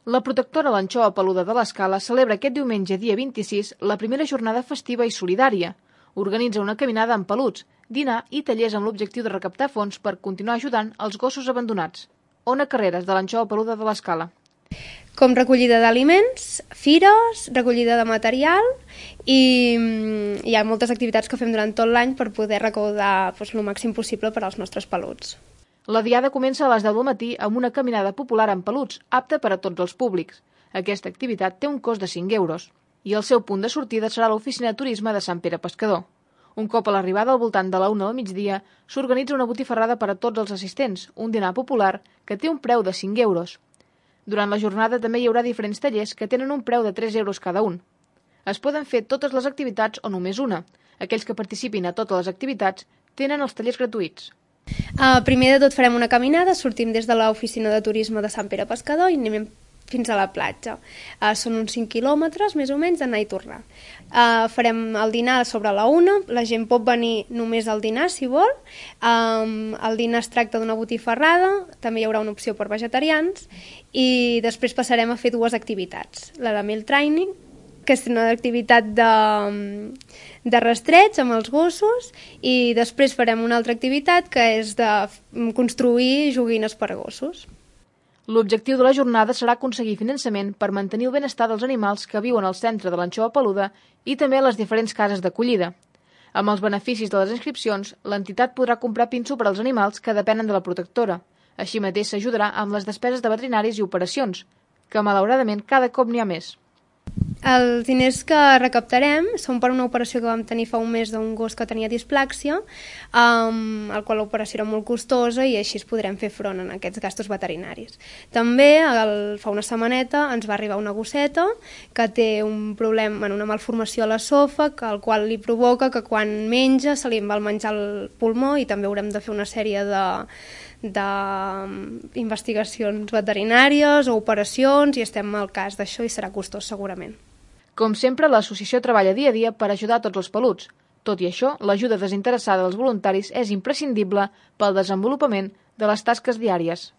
La protectora L'Anxova Peluda de l'Escala celebra aquest diumenge, dia 26, la primera jornada festiva i solidària. Organitza una caminada amb peluts, dinar i tallers amb l'objectiu de recaptar fons per continuar ajudant els gossos abandonats. Ona Carreras, de l'Anxova Peluda de l'Escala. Com recollida d'aliments, fires, recollida de material i hi ha moltes activitats que fem durant tot l'any per poder recaudar el màxim possible per als nostres peluts. La diada comença a les 10 del matí amb una caminada popular amb peluts, apta per a tots els públics. Aquesta activitat té un cost de 5 euros i el seu punt de sortida serà l'oficina de turisme de Sant Pere Pescador. Un cop a l'arribada al voltant de la 1 del migdia, s'organitza una botifarrada per a tots els assistents, un dinar popular que té un preu de 5 euros. Durant la jornada també hi haurà diferents tallers que tenen un preu de 3 euros cada un. Es poden fer totes les activitats o només una. Aquells que participin a totes les activitats tenen els tallers gratuïts. Primer de tot farem una caminada, sortim des de l'oficina de turisme de Sant Pere Pescador i anem fins a la platja. Són uns 5 quilòmetres, més o menys, d'anar i tornar. Farem el dinar sobre la 1, la gent pot venir només al dinar, si vol. El dinar es tracta d'una botifarrada, també hi haurà una opció per vegetarians, i després passarem a fer 2 activitats. La de meal training, que és una activitat de rastreig amb els gossos, i després farem una altra activitat que és de construir joguines per a gossos. L'objectiu de la jornada serà aconseguir finançament per mantenir el benestar dels animals que viuen al centre de l'Anxova Peluda i també a les diferents cases d'acollida. Amb els beneficis de les inscripcions, l'entitat podrà comprar pinso per als animals que depenen de la protectora. Així mateix s'ajudarà amb les despeses de veterinaris i operacions, que malauradament cada cop n'hi ha més. Els diners que recaptarem són per una operació que vam tenir fa un mes d'un gos que tenia displàxia, el qual l'operació era molt costosa i així podrem fer front a aquests gastos veterinaris. També fa una setmaneta ens va arribar una gosseta que té un problema, una malformació a l'esòfag, el qual li provoca que quan menja se li va el menjar al pulmó i també haurem de fer una sèrie d'investigacions veterinàries o operacions i estem al cas d'això i serà costós segurament. Com sempre, l'associació treballa dia a dia per ajudar tots els peluts. Tot i això, l'ajuda desinteressada dels voluntaris és imprescindible pel desenvolupament de les tasques diàries.